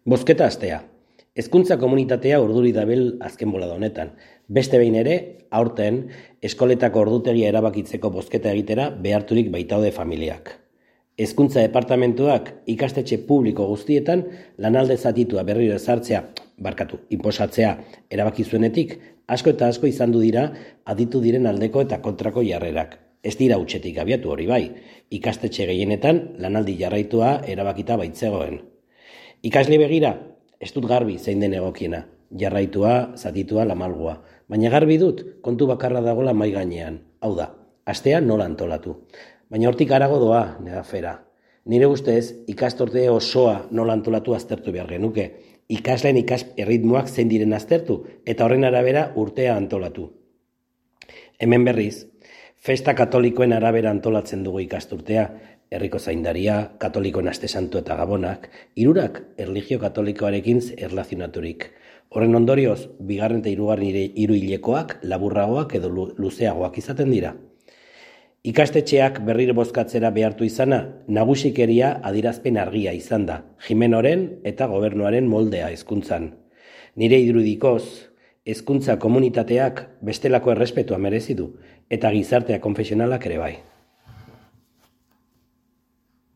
Bozketa astea. Hezkuntza komunitatea urduri dabil azken bolada honetan. Beste behin ere, aurten, eskoletako ordutegia erabakitzeko bozketa egitera beharturik baitaude familiak. Hezkuntza departamentuak ikastetxe publiko guztietan lanalde zatitua berriro inposatzea erabaki zuenetik, asko eta asko izan du dira aditu diren aldeko eta kontrako jarrerak. Ez dira hutsetik abiatu hori bai, ikastetxe gehienetan lanaldi jarraitua erabakita baitzegoen. Ikasle begira, ez dut garbi zein den egokiena, jarraitua, zatitua, lamalgoa. Baina garbi dut, kontu bakarra dagoela mai gainean. Hau da, astea nola antolatu. Baina hortik harago doa, nera fera. Nire ustez, ikastorte osoa nola antolatu aztertu behar genuke. Ikasleen erritmoak zein diren aztertu, eta horren arabera urtea antolatu. Hemen berriz, festa katolikoen arabera antolatzen dugu ikasturtea, herriko zaindaria, katolikoen aste santu eta gabonak, hirurak erlijio katolikoarekin erlazionaturik. Horren ondorioz, bigarren eta hirugarren hiruhilekoak laburragoak edo luzeagoak izaten dira. Ikastetxeak berriro bozkatzera behartu izana, nagusikeria adirazpen argia izan da, Jimenoren eta gobernuaren moldea hezkuntzan. Nire irudikoz, hezkuntza komunitateak bestelako errespetua merezi du, eta gizartea konfesionalak ere bai.